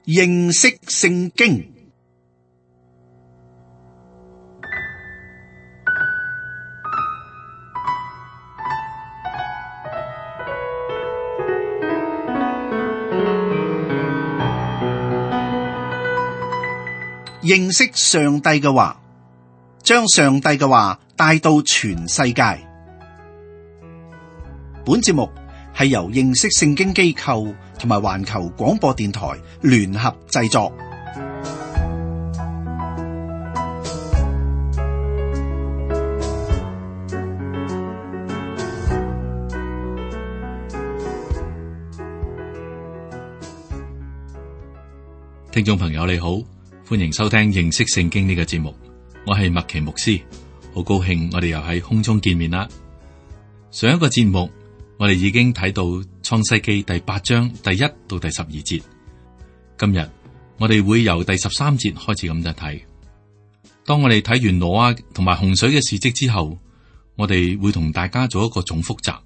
認識聖經。認識上帝嘅話，將上帝嘅話帶到全世界。本節目係由認識聖經機構同埋環球廣播電台聯合製作。聽眾朋友你好，歡迎收聽認識聖經呢個節目，我係麥奇牧師，好高興我哋又喺空中見面啦。上一個節目我哋已經睇到創世記第8章第1到第12節，今日我哋會由第13節開始咁樣睇。當我哋睇完挪亞同埋洪水嘅事蹟之後，我哋會同大家做一個總複習。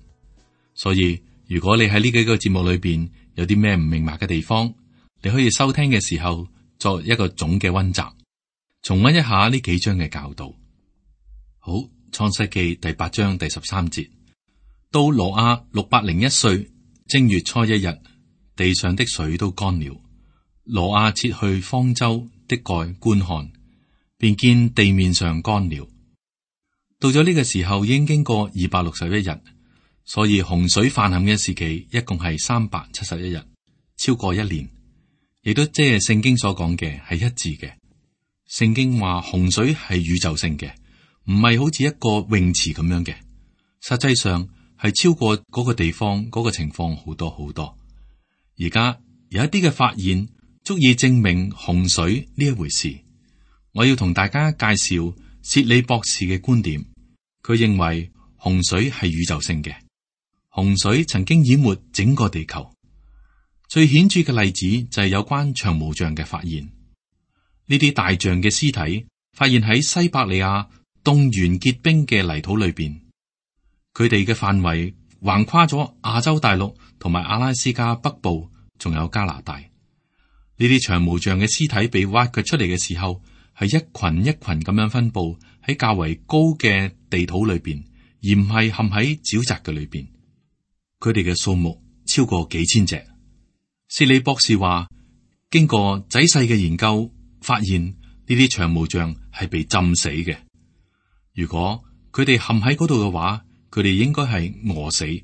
所以如果你喺呢幾個節目裏邊有啲咩唔明白嘅地方，你可以收聽嘅時候作一個總嘅溫習，重溫一下呢幾章嘅教導。好，創世記第8章第13節。到挪亞601歲正月初1日，地上的水都乾了。挪亞撤去方舟的蓋觀看，便見地面上乾了。到咗呢個時候已經經過261日，所以洪水泛濫嘅時期一共係371日，超過1年，亦都即係聖經所講嘅係一致嘅。聖經話洪水係宇宙性嘅，唔係好似一個泳池咁樣嘅，實際上係超過嗰個地方嗰個情況好多好多。而家有一啲嘅發現足以證明洪水呢一回事。我要同大家介紹薛利博士嘅觀點，佢認為洪水係宇宙性嘅，洪水曾經淹沒整個地球。最顯著嘅例子就係有關長毛象嘅發現。呢啲大象嘅屍體發現喺西伯利亞凍原結冰嘅泥土裏邊。佢哋嘅範圍橫跨咗亞洲大陸同埋阿拉斯加北部，仲有加拿大。呢啲長毛象嘅屍體被挖掘出嚟嘅時候，係一群一群咁樣分布喺較為高嘅地土裏邊，而唔係陷喺沼澤嘅裏邊。佢哋嘅數目超過幾千隻。薛利博士話，經過仔細嘅研究，發現呢啲長毛象係被浸死嘅。如果佢哋陷喺嗰度嘅話，佢哋應該係餓死。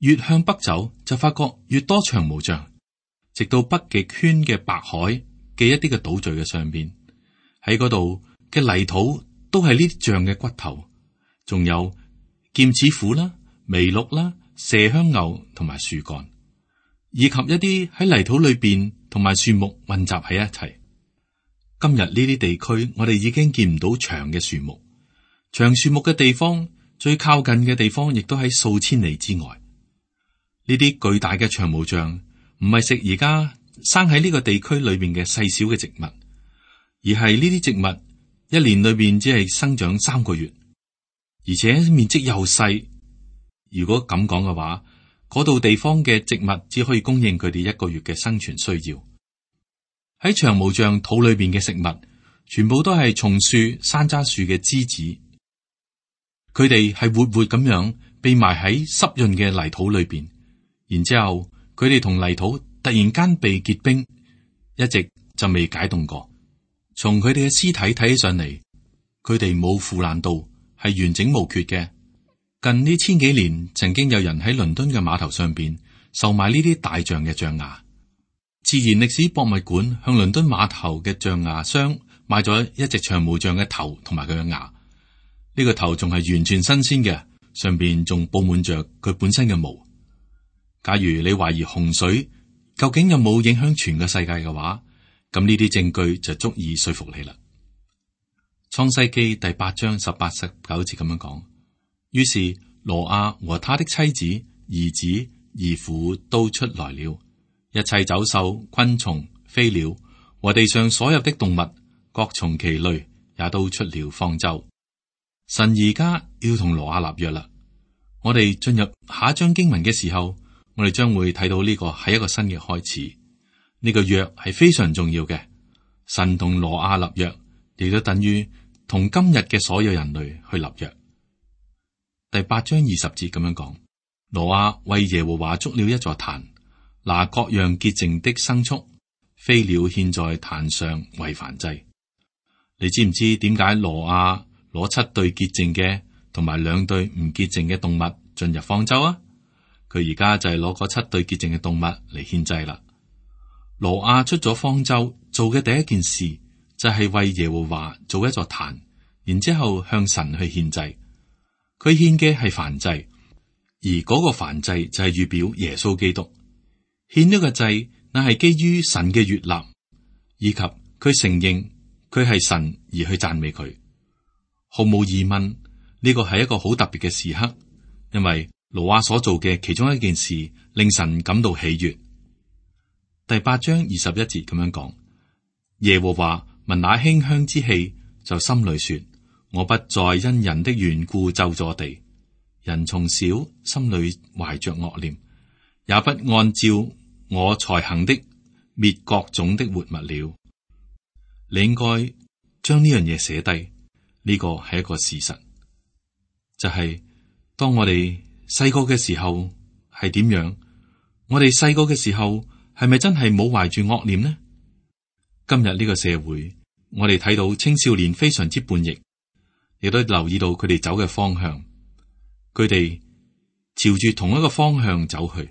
越向北走，就發覺越多長毛象，直到北極圈嘅白海嘅一啲嘅島嶼嘅上邊，喺嗰度嘅泥土都係呢啲象嘅骨頭，仲有劍齒虎啦、麋鹿啦、麝香牛同埋樹幹，以及一啲喺泥土裏邊同埋樹木混雜喺一齊。今日呢啲地區，我哋已經見唔到長嘅樹木，長樹木嘅地方，最靠近嘅地方亦都喺數千里之外。呢啲巨大嘅長毛象唔係食而家生喺呢個地區裏邊嘅細小嘅植物，而係呢啲植物一年裏邊只係生長3個月，而且面積又細。如果咁講嘅話，嗰度地方嘅植物只可以供應佢哋1個月嘅生存需要。喺長毛象肚裏邊嘅食物，全部都係松樹、山楂樹嘅枝子。佢哋係活活咁樣被埋喺濕潤嘅泥土裏邊，然之後佢哋同泥土突然間被結冰，一直就未解凍過。從佢哋嘅屍體睇起上嚟，佢哋冇腐爛到，係完整無缺嘅。近呢1000幾年，曾經有人喺倫敦嘅碼頭上邊售賣呢啲大象嘅象牙。自然歷史博物館向倫敦碼頭嘅象牙商買咗一隻長毛象嘅頭同埋佢嘅牙。呢個頭仲係完全新鮮嘅，上邊仲布滿着佢本身嘅毛。假如你懷疑洪水究竟有冇影響全個世界嘅話，咁呢啲證據就足以說服你啦。創世記第8章18、19節咁樣講，於是挪亞和他的妻子、兒子、兒婦都出來了，一切走獸、昆蟲、飛鳥和地上所有的動物，各從其類，也都出了方舟。神而家要同挪亞立約啦。我哋進入下一章經文嘅時候，我哋將會睇到呢個係一個新嘅開始。呢個約係非常重要嘅。神同挪亞立約，亦都等於同今日嘅所有人類去立約。第8章20節咁樣講：挪亞為耶和華築了一座壇，拿各樣潔淨的牲畜、飛鳥獻在壇上為燔祭。你知唔知點解挪亞攞7對潔淨嘅同埋2對唔潔淨嘅動物進入方舟啊？佢而家就係攞嗰7對潔淨嘅動物嚟獻祭啦。挪亞出咗方舟做嘅第一件事就係為耶和華做一座壇，然之後向神去獻祭。佢獻嘅係燔祭，而嗰個燔祭就係預表耶穌基督。獻呢個祭乃係基於神嘅悅納，以及佢承認佢係神而去讚美佢。毫無疑問，呢個係一個好特別嘅時刻，因為挪亞所做嘅其中一件事令神感到喜悅。第8章21節咁樣講：耶和華聞那馨香之氣，就心裏說：我不再因人的緣故咒詛地。人從小心裏懷着惡念，也不按照我才行的滅各種的活物了。你應該將呢樣嘢寫低，呢個係一個事實，就係當我哋細個嘅時候係點樣，我哋細個嘅時候係咪真係冇懷住惡念呢？今日呢個社會，我哋睇到青少年非常之叛逆，亦都留意到佢哋走嘅方向，佢哋朝住同一個方向走去。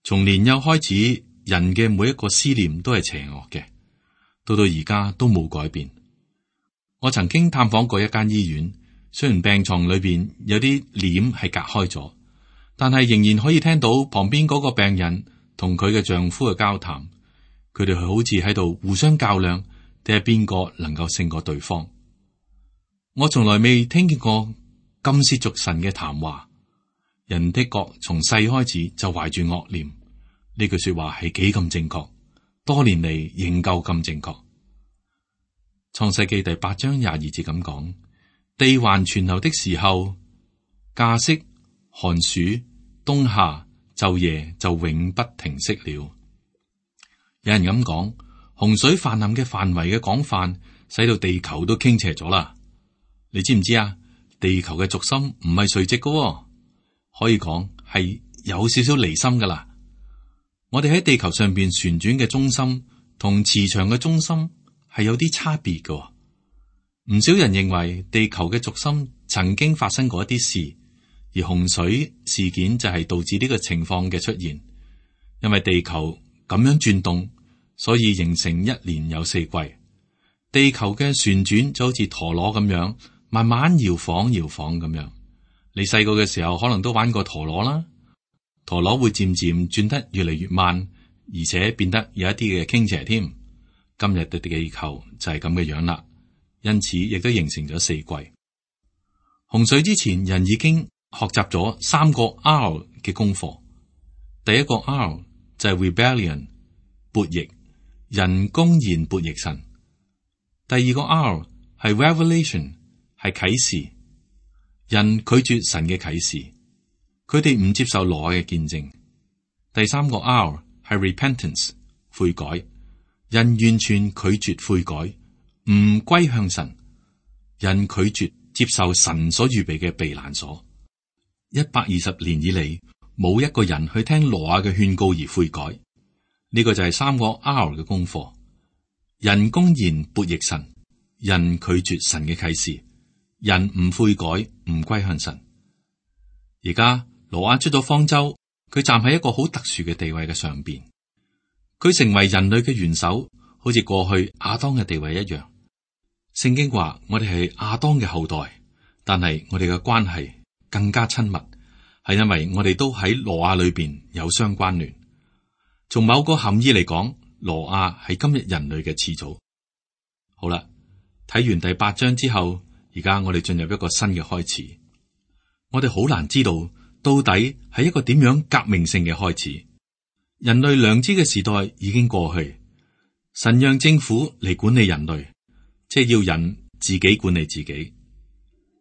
從年幼開始，人嘅每一個思念都係邪惡嘅，到而家都冇改變。我曾經探訪過一間醫院，雖然病床裏邊有啲簾係隔開咗，但係仍然可以聽到旁邊嗰個病人同佢嘅丈夫嘅交談。佢哋好似喺度互相較量，睇下邊個能夠勝過對方。我從來未聽見過咁褻瀆神嘅談話。人的國從細開始就懷住惡念，呢句說話係幾咁正確，多年嚟仍舊咁正確。創世記第8章22節咁講：地還存留的時候，稼穡、寒暑、冬夏、晝夜就永不停息了。有人咁講，洪水泛濫嘅範圍嘅廣泛，使到地球都傾斜咗啦。你知唔知啊？地球嘅軸心唔係垂直嘅，可以講係有少少離心噶啦。我哋喺地球上邊旋轉嘅中心同磁場嘅中心係有啲差別嘅。唔少人認為地球嘅軸心曾經發生過一啲事，而洪水事件就係導致呢個情況嘅出現。因為地球咁樣轉動，所以形成一年有4季。地球嘅旋轉就好似陀螺咁樣，慢慢搖晃搖晃咁樣。你細個嘅時候可能都玩過陀螺啦，陀螺會漸漸轉得越嚟越慢，而且變得有一啲嘅傾斜添。今日嘅地球就係咁嘅樣啦，因此亦都形成咗4季。洪水之前，人已經學習咗3個 R 嘅功課。第一個 R 就係 rebellion 悖逆，人公然悖逆神。第二個 R 係 revelation 係啟示，人拒絕神嘅啟示，佢哋唔接受挪亞嘅見證。第三個 R 係 repentance 悔改，人完全拒絕悔改，唔歸向神，人拒絕接受神所預備嘅避難所。120年以嚟，冇一個人去聽挪亞嘅勸告而悔改。呢個就係3個 R 嘅功課。人公然悖逆神，人拒絕神嘅啟示，人唔悔改，唔歸向神。而家挪亞出咗方舟，佢站喺一個好特殊嘅地位嘅上邊，佢成為人類嘅元首，好似過去亞當嘅地位一樣。聖經話我哋係亞當嘅後代，但係我哋嘅關係更加親密，係因為我哋都喺挪亞裏邊有相關聯。從某個含義嚟講，挪亞係今日人類嘅始祖。好啦，睇完第8章之後，而家我哋進入一個新嘅開始。我哋好難知道到底係一個點樣革命性嘅開始。人類良知嘅時代已經過去，神讓政府嚟管理人類，即係要人自己管理自己。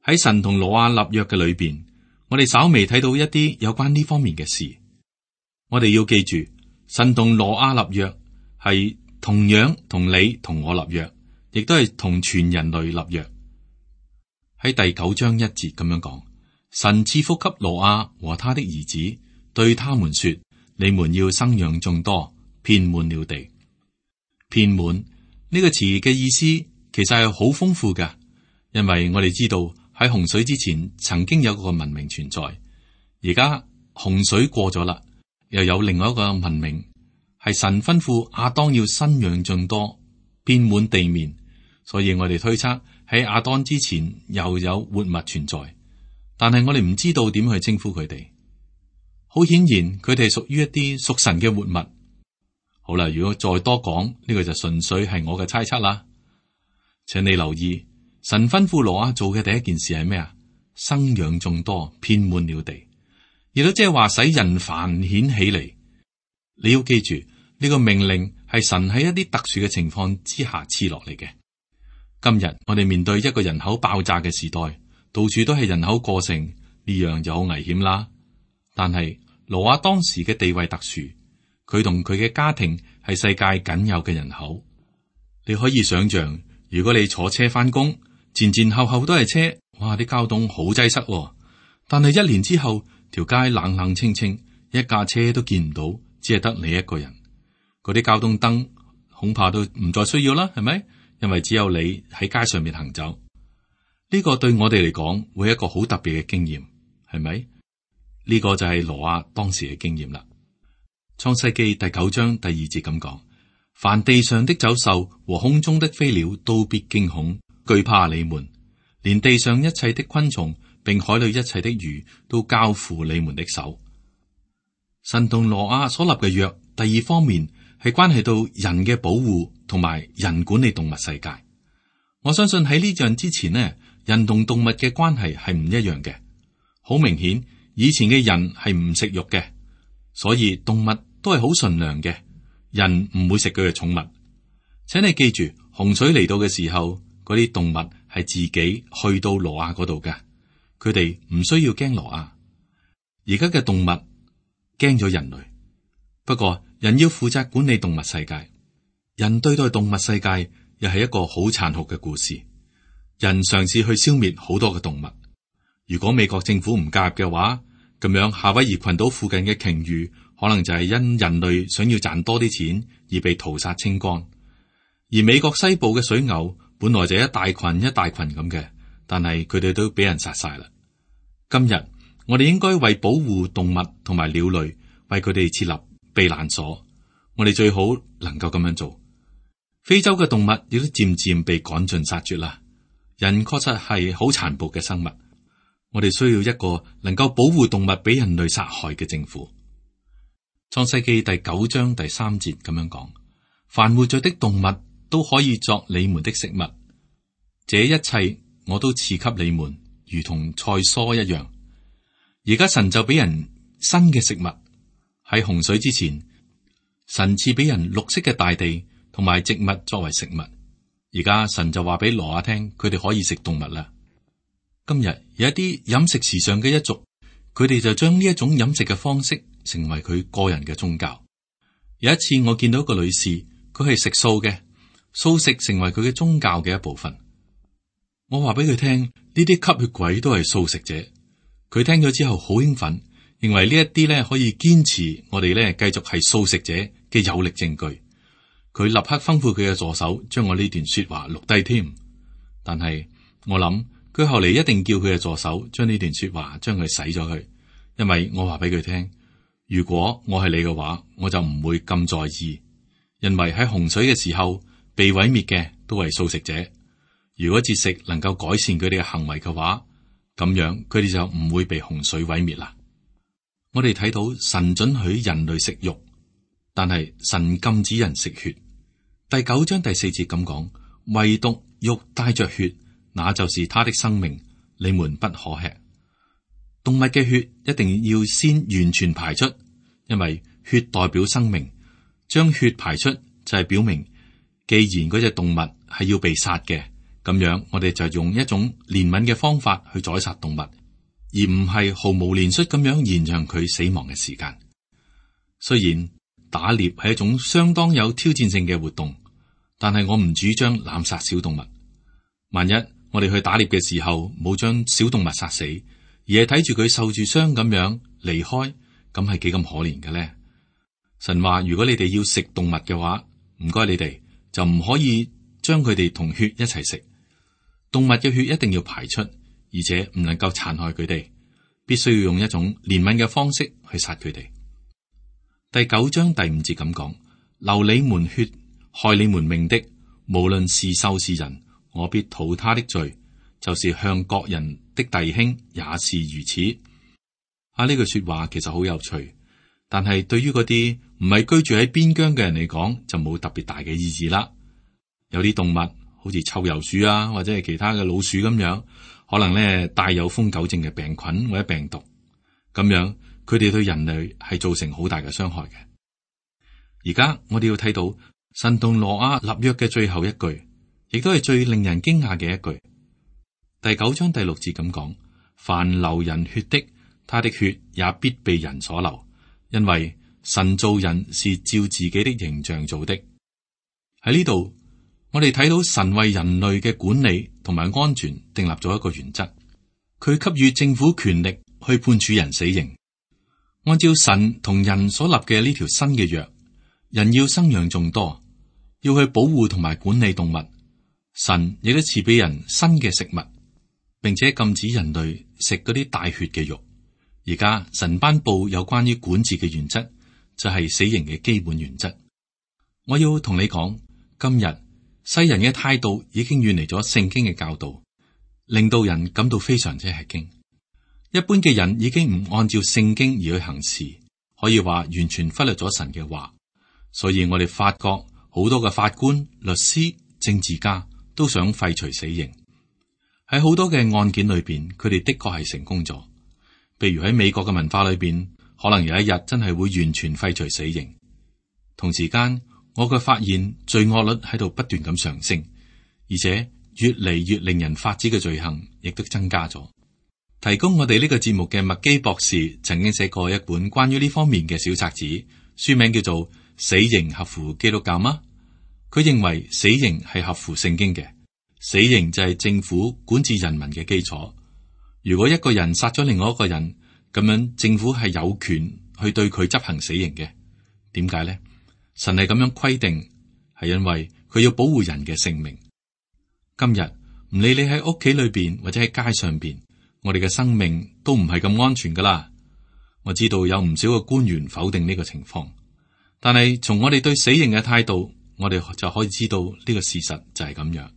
喺神同挪亞立約嘅裏邊，我哋稍微睇到一啲有關呢方面嘅事。我哋要記住，神同挪亞立約係同樣同你同我立約，亦都係同全人類立約。喺第9章1節咁樣講，神賜福給挪亞和他的兒子，對他們說：你們要生養眾多，遍滿了地。遍滿呢個詞嘅意思其實係好豐富嘅，因為我哋知道喺洪水之前曾經有個文明存在，而家洪水過咗啦，又有另外一個文明，係神吩咐亞當要生養眾多，遍滿地面。所以我哋推測喺亞當之前又有活物存在，但係我哋唔知道點去稱呼佢哋。好顯然佢哋屬於一啲屬神嘅活物。好啦，如果再多講呢個就純粹係我嘅猜測啦。請你留意，神吩咐挪亞做嘅第一件事係咩啊？生養眾多，遍滿了地，亦都即係話使人繁衍起嚟。你要記住呢個命令係神喺一啲特殊嘅情況之下賜落嚟嘅。今日我哋面對一個人口爆炸嘅時代，到處都係人口過剩，呢樣就好危險啦。但係挪亞當時嘅地位特殊，佢同佢嘅家庭係世界僅有嘅人口。你可以想象，如果你坐車翻工，前前後後都係車，哇！啲交通好擠塞喎。但係1年之後，條街冷冷清清，一架車都見唔到，只係得你一個人。嗰啲交通燈恐怕都唔再需要啦，係咪？因為只有你喺街上面行走。呢個對我哋嚟講會係一個好特別嘅經驗，係咪？呢個就係挪亞當時嘅經驗啦。創世記第9章第2節咁講：凡地上的走獸和空中的飛鳥都必驚恐，懼怕你們，連地上一切的昆蟲並海裏一切的魚都交付你們的手。神同挪亞所立嘅約，第二方面係關係到人嘅保護同埋人管理動物世界。我相信喺呢樣之前呢，人同動物嘅關係係唔一樣嘅。好明顯，以前嘅人係唔食肉嘅，所以動物都係好純良嘅。人唔會食佢嘅寵物。請你記住，洪水嚟到嘅時候，嗰啲動物係自己去到挪亞嗰度嘅，佢哋唔需要驚挪亞。而家嘅動物驚咗人類，不過人要負責管理動物世界。人對待動物世界又係一個好殘酷嘅故事。人嘗試去消滅好多嘅動物。如果美國政府唔介入嘅話，咁樣夏威夷群島附近嘅鯨魚可能就係因人類想要賺多啲錢而被屠殺清光。而美國西部嘅水牛本來就一大群一大群咁嘅，但係佢哋都俾人殺晒啦。今日我哋應該為保護動物同埋鳥類，為佢哋設立避難所。我哋最好能夠咁樣做。非洲嘅動物亦都漸漸被趕盡殺絕啦。人確實係好殘暴嘅生物。我哋需要一個能夠保護動物俾人類殺害嘅政府。創世記第9章第3節咁樣講：凡活着的動物都可以作你們的食物，這一切我都賜給你們，如同菜蔬一樣。而家神就俾人新嘅食物。喺洪水之前，神賜俾人綠色嘅大地同埋植物作為食物。而家神就話俾挪亞聽，佢哋可以食動物啦。今日有一啲飲食時尚嘅一族，佢哋就將呢一種飲食嘅方式成為佢個人嘅宗教。有一次我見到一個女士，佢係食素嘅，素食成為佢嘅宗教嘅一部分。我話俾佢聽，呢啲吸血鬼都係素食者。佢聽咗之後好興奮，認為呢一啲咧可以堅持我哋咧繼續係素食者嘅有力證據。佢立刻吩咐佢嘅助手將我呢段說話錄低添。但係我諗佢後嚟一定叫佢嘅助手將呢段說話將佢洗咗佢，因為我話俾佢聽，如果我係你嘅話，我就唔會咁在意，因為喺洪水嘅時候被毀滅嘅都係素食者。如果節食能夠改善佢哋嘅行為嘅話，咁樣佢哋就唔會被洪水毀滅啦。我哋睇到神准許人類食肉，但係神禁止人食血。第9章第4節咁講：唯獨肉帶着血，那就是他的生命，你們不可吃。動物嘅血一定要先完全排出，因為血代表生命。將血排出就係表明，既然嗰隻動物係要被殺嘅，咁樣我哋就用一種憐憫嘅方法去宰殺動物，而唔係毫無憐恤咁樣延長佢死亡嘅時間。雖然打獵係一種相當有挑戰性嘅活動，但係我唔主張濫殺小動物。萬一我哋去打獵嘅時候冇將小動物殺死，而係睇住佢受住傷咁樣離開，咁係幾咁可憐嘅呢？神話如果你哋要食動物嘅話，唔該你哋就唔可以將佢哋同血一齊食。動物嘅血一定要排出，而且唔能夠殘害佢哋，必須要用一種憐憫嘅方式去殺佢哋。第9章第5節咁講：流你們血、害你們命的，無論是獸是人，我必討他的罪，就是向各人的弟兄也是如此。呢句說話其實好有趣，但係對於嗰啲唔係居住喺邊疆嘅人嚟講，就冇特別大嘅意義啦。有啲動物好似臭鼬鼠啊，或者係其他嘅老鼠咁樣，可能咧帶有瘋狗症嘅病菌或者病毒，咁樣佢哋對人類係造成好大嘅傷害嘅。而家我哋要睇到神同挪亞立約嘅最後一句，亦都係最令人驚訝嘅一句。第9章第6節咁講：凡流人血的，他的血也必被人所流，因為神造人是照自己的形象造的。喺呢度，我哋睇到神為人類嘅管理同埋安全訂立咗一個原則，佢給予政府權力去判處人死刑。按照神同人所立嘅呢條新嘅約，人要生養眾多，要去保護同埋管理動物。神亦都賜俾人新嘅食物，並且禁止人類食嗰啲帶血嘅肉。而家神頒布有關於管治嘅原則，就係死刑嘅基本原則。我要同你講，今日世人嘅態度已經遠離咗聖經嘅教導，令到人感到非常之吃驚。一般嘅人已經唔按照聖經而去行事，可以話完全忽略咗神嘅話。所以我哋發覺好多嘅法官、律師、政治家都想廢除死刑。喺好多嘅案件裏邊，佢哋的確係成功咗。譬如喺美國嘅文化裏邊，可能有一日真係會完全廢除死刑。同時間，我卻發現罪惡率喺度不斷咁上升，而且越嚟越令人髮指嘅罪行亦都增加咗。提供我哋呢個節目嘅麥基博士曾經寫過一本關於呢方面嘅小冊子，書名叫做《死刑合乎基督教嗎》。佢認為死刑係合乎聖經嘅，死刑就係政府管治人民嘅基礎。如果一個人殺咗另外一個人，咁樣政府係有權去對佢執行死刑嘅。點解呢？神係咁樣規定，係因為佢要保護人嘅性命。今日唔理你喺屋企裏邊或者喺街上邊，我哋嘅生命都唔係咁安全噶啦。我知道有唔少嘅官員否定呢個情況，但係從我哋對死刑嘅態度，我哋就可以知道呢個事實就係咁樣。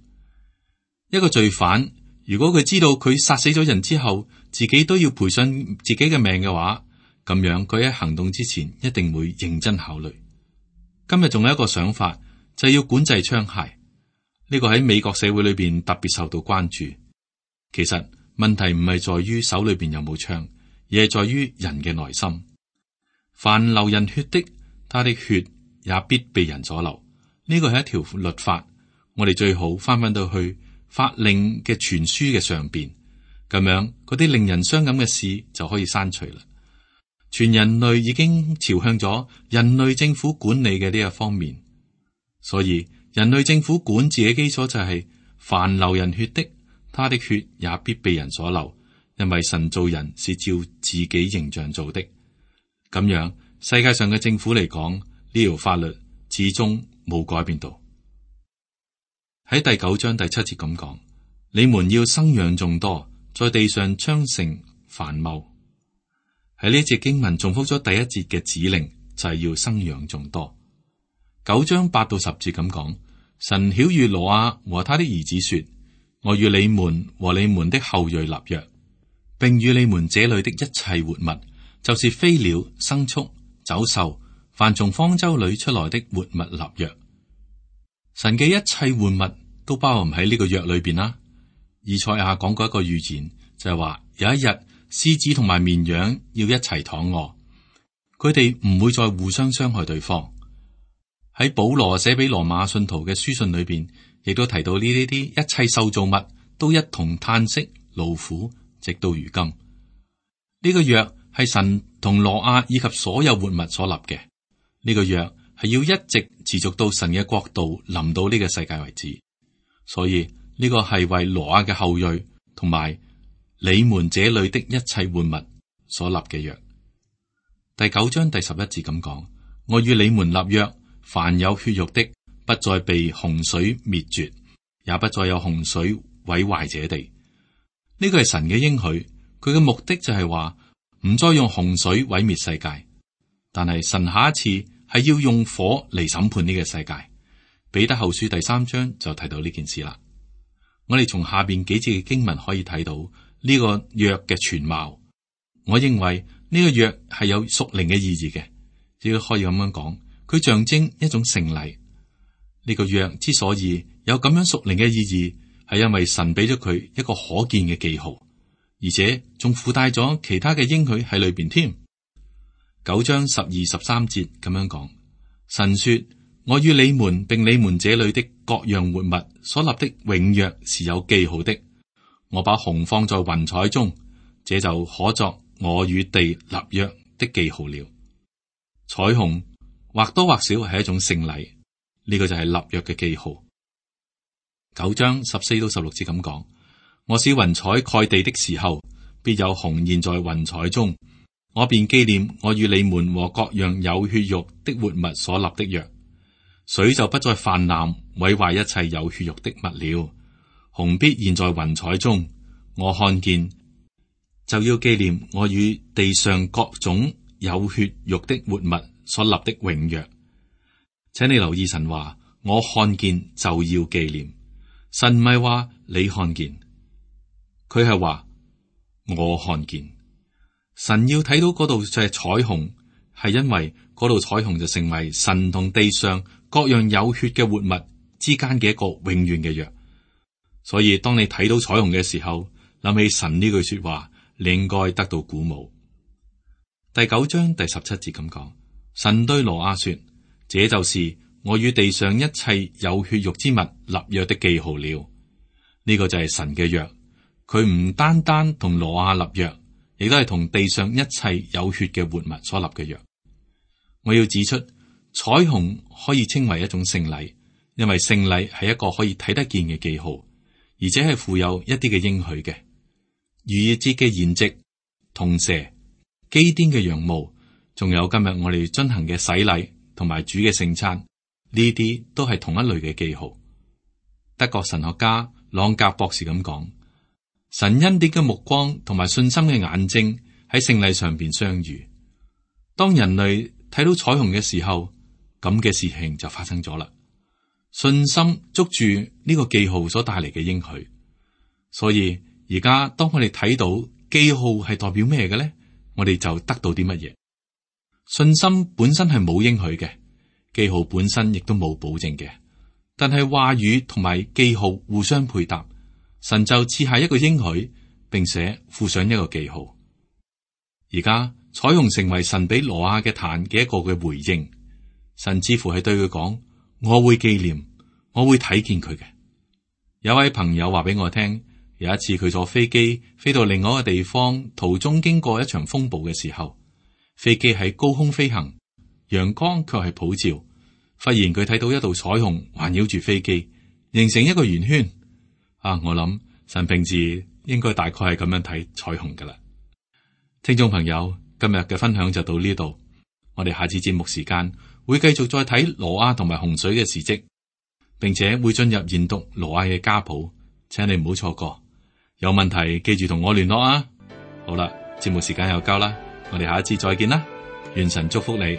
一個罪犯，如果佢知道佢殺死咗人之後，自己都要賠上自己嘅命嘅話，咁樣佢喺行動之前一定會認真考慮。今日仲有一個想法，就係要管制槍械。呢個喺美國社會裏邊特別受到關注。其實問題唔係在於手裏邊有冇槍，而係在於人嘅內心。凡流人血的，他的血也必被人所流。呢個係一條律法，我哋最好翻到去法令嘅傳書嘅上邊，咁樣嗰啲令人傷感嘅事就可以刪除啦。全人類已經朝向咗人類政府管理嘅呢一方面，所以人類政府管治嘅基礎就係凡流人血的，他的血也必被人所流，因為神造人是照自己形象造的。咁樣世界上嘅政府嚟講，呢條法律始終冇改變到。喺第9章第7節咁講：你們要生養眾多，在地上昌盛繁茂。喺呢節經文重複咗第1節嘅指令，就係要生養眾多。9章8到10節咁講：神曉諭挪亞和他的兒子說：我與你們和你們的後裔立約，並與你們這裏的一切活物，就是飛鳥、牲畜、走獸，凡從方舟裏出來的活物立約。神嘅一切活物都包含喺呢個約裏邊啦。以賽亞講過一個預言，就係話有一日獅子同埋綿羊要一齊躺臥，佢哋唔會再互相傷害對方。喺保羅寫俾羅馬信徒嘅書信裏邊，亦都提到呢啲一切受造物都一同嘆息勞苦，直到如今。呢個約係神同挪亞以及所有活物所立嘅，呢個約係要一直持續到神嘅國度臨到呢個世界為止。所以呢個係為挪亞嘅後裔同埋你們這裏的一切活物所立嘅約。第9章第11節咁講：我與你們立約，凡有血肉的，不再被洪水滅絕，也不再有洪水毀壞這地。呢個係神嘅應許，佢嘅目的就係話唔再用洪水毀滅世界，但係神下一次係要用火嚟審判呢個世界。彼得後書第3章就提到呢件事啦。我哋從下邊幾節嘅經文可以睇到呢個約嘅全貌。我認為呢個約係有屬靈嘅意義嘅，亦都可以咁樣講，佢象徵一種聖禮。呢個約之所以有咁樣屬靈嘅意義，係因為神俾咗佢一個可見嘅記號，而且仲附帶咗其他嘅應許喺裏邊添。9章12、13節咁樣講：神說，我與你們並你們這裏的各樣活物所立的永約是有記號的。我把虹放在雲彩中，這就可作我與地立約的記號了。彩虹或多或少係一種聖禮，呢個就係立約嘅記號。9章14到16節咁講：我使雲彩蓋地的時候，必有虹現在雲彩中，我便紀念我與你們和各樣有血肉的活物所立的約。水就不再泛濫，毀壞一切有血肉的物了。虹必現在雲彩中，我看見就要紀念我與地上各種有血肉的活物所立的永約。請你留意神話，我看見就要紀念。神唔係話你看見，佢係話我看見。神要睇到嗰度就係彩虹，係因為嗰度彩虹就成為神同地上各樣有血嘅活物之間嘅一個永遠嘅約。所以當你睇到彩虹嘅時候，諗起神呢句說話，你應該得到鼓舞。第9章第17節咁講：神對挪亞說，這就是我與地上一切有血肉之物立約的記號了。呢個就係神嘅約，佢唔單單同挪亞立約，亦都係同地上一切有血嘅活物所立嘅約。我要指出，彩虹可以稱為一種聖禮，因為聖禮係一個可以睇得見嘅記號，而且係附有一啲嘅應許嘅。逾越節嘅筵席、銅蛇、基甸嘅羊毛，仲有今日我哋進行嘅洗禮同埋主嘅聖餐，呢啲都係同一類嘅記號。德國神學家朗格博士咁講：神恩典嘅目光同埋信心嘅眼睛喺聖禮上邊相遇。當人類睇到彩虹嘅時候，咁嘅事情就發生咗啦。信心捉住呢個記號所帶嚟嘅應許，所以而家當我哋睇到記號係代表咩嘅咧，我哋就得到啲乜嘢？信心本身係冇應許嘅，記號本身亦都冇保證嘅，但係話語同埋記號互相配搭，神就賜下一個應許，並且附上一個記號。而家彩虹成為神俾挪亞嘅壇嘅一個嘅回應，神似乎係對佢講：我會紀念，我會睇見佢嘅。有位朋友話俾我聽，有一次佢坐飛機飛到另外一個地方，途中經過一場風暴嘅時候，飛機喺高空飛行，陽光卻係普照。忽然佢睇到一道彩虹環繞住飛機，形成一個圓圈。我諗神平時應該大概係咁樣睇彩虹噶啦。聽眾朋友，今日嘅分享就到呢度，我哋下次節目時間會繼續再睇挪亞同埋洪水嘅事跡，並且會進入研讀挪亞嘅家譜，請你唔好錯過。有問題記住同我聯絡啊！好啦，節目時間又夠啦，我哋下一次再見啦，願神祝福你。